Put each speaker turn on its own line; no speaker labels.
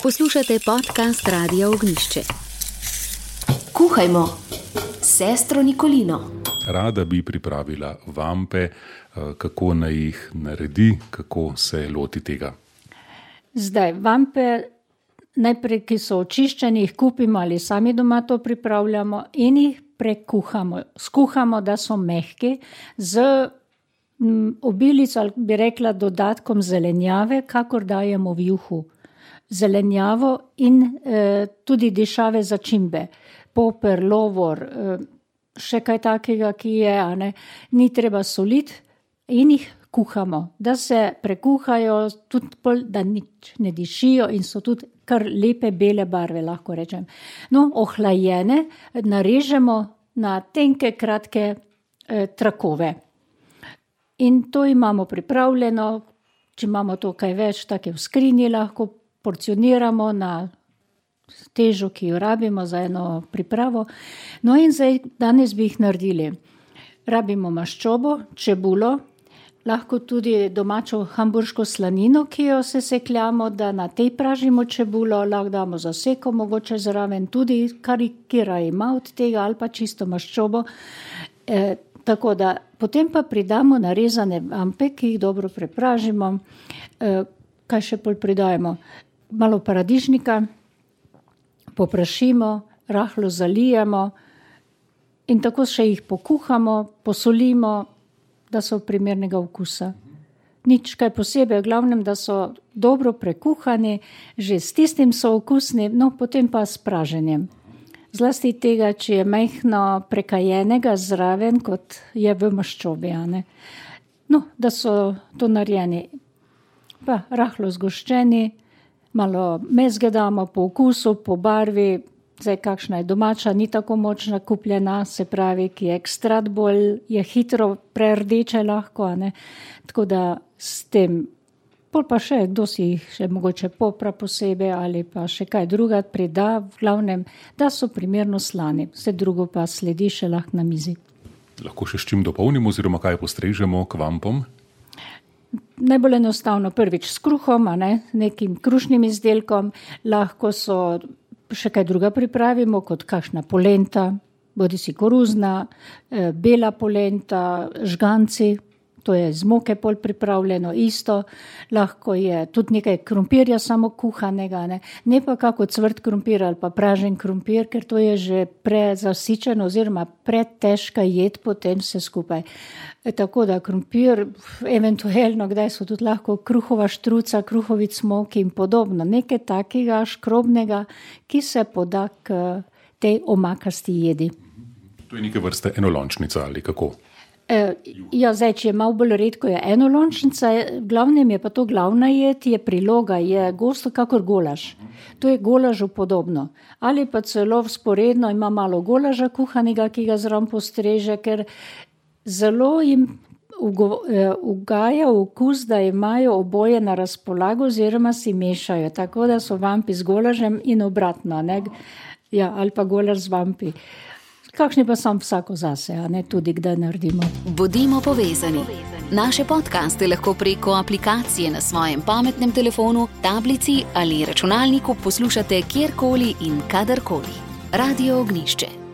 Poslušate podcast Radia Ognjišče.
Kuhajmo s sestro Nikolino.
Rada bi pripravila vampe, kako naj jih naredi, kako se loti tega.
Zdaj, vampe najprej, ki so očiščeni, jih kupimo ali sami doma to pripravljamo in jih prekuhamo. Skuhamo, da so mehki, z obilico, ali bi rekla dodatkom zelenjave, kakor dajemo v juhu. Zelenjavo in tudi dišave začimbe, poper, lovor, še kaj takega, ki je, ni treba soliti in jih kuhamo, da se prekuhajo, tudi da nič ne dišijo in so tudi kar lepe bele barve, lahko rečem. No, ohlajene narežemo na tenke, kratke trakove. In to imamo pripravljeno, če imamo to kaj več, take v skrinji lahko porcioniramo na težo, ki jo rabimo za eno pripravo. No in zdaj, danes bi jih naredili. Rabimo maščobo, čebulo, lahko tudi domačo hamburško slanino, ki jo sesekljamo, da na tej pražimo čebulo, lahko damo zaseko, mogoče zraven tudi karikira ima od tega ali pa čisto maščobo. Tako da potem pa pridamo narezane vampe, ki jih dobro prepražimo. Kaj še bolj pridajemo? Malo paradižnika, poprašimo, rahlo zalijemo in tako še jih pokuhamo, posolimo, da so primernega okusa. Nič kaj posebej, v glavnem, da so dobro prekuhani, že s tistim so okusni, no potem pa s praženjem. Zlasti tega, če je majhno prekajenega zraven, kot je v maščobi. No, da so to narejeni. Pa rahlo zgoščeni, malo mezge damo po okusu, po barvi, zdaj kakšna je domača, ni tako močna kupljena, se pravi, ki je ekstrat bolj, je hitro prerdeče lahko, Tako da s tem, pol pa še, kdo si jih še mogoče popra posebej ali pa še kaj druga prida, v glavnem, da so primerno slani, vse drugo pa sledi še lahko na mizi.
Lahko še s čim dopolnimo oziroma kaj postrežemo k vampom?
Najbolj enostavno prvič s kruhom, nekim krušnim izdelkom, lahko so še kaj druga pripravimo, kot kakšna polenta, bodisi koruzna, bela polenta, žganci, to je z moke pol pripravljeno isto, lahko je tudi nekaj krompirja samo kuhanega, ne pa kako cvrt krompir ali pa pražen krompir, ker to je že prezasičen oziroma pretežka jed potem vse skupaj. Tako da krompir, eventualno, kdaj so tudi lahko kruhova štruca, kruhovi cmoki in podobno, nekaj takega škrobnega, ki se poda k tej omakasti jedi.
To je neke vrste enolončnica ali kako?
Ja, zdaj, če je malo bolj redko, je enolončnica, v glavnem je pa to glavna jed, je priloga, je gosto kakor golaž. To je golažu podobno. Ali pa celo vzporedno ima malo golaža kuhanega, ki ga zraven postreže, ker zelo jim ugaja okus, da imajo oboje na razpolago oziroma si mešajo, tako da so vampi z golažem in obratno, Ja, ali pa golaž z vampi. Kakšni pa sam vsako zase, tudi kdaj naredimo.
Bodimo povezani. Naše podcaste lahko preko aplikacije na svojem pametnem telefonu, tablici ali računalniku poslušate kjerkoli in kadarkoli. Radio Ognjišče.